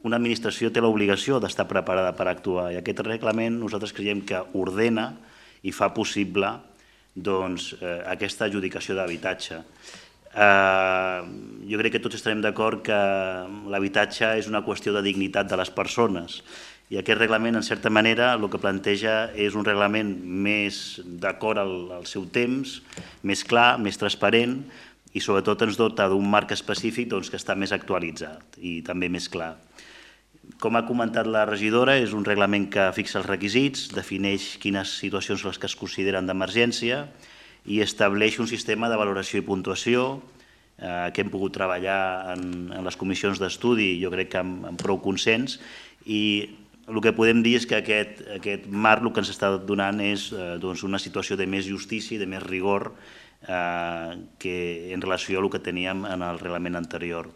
una administració té l'obligació d'estar preparada per actuar i aquest reglament nosaltres creiem que ordena i fa possible aquesta adjudicació d'habitatge. Jo crec que tots estarem d'acord que l'habitatge és una qüestió de dignitat de les persones i aquest reglament, en certa manera, el que planteja és un reglament més d'acord al seu temps, més clar, més transparent i sobretot ens dota d'un marc específic que està més actualitzat i també més clar. Com ha comentat la regidora, és un reglament que fixa els requisits, defineix quines situacions són les que es consideren d'emergència i estableix un sistema de valoració i puntuació que hem pogut treballar en les comissions d'estudi, jo crec que amb prou consens, i el que podem dir és que aquest marc el que ens està donant és una situació de més justícia i de més rigor en relació al que teníem en el reglament anterior.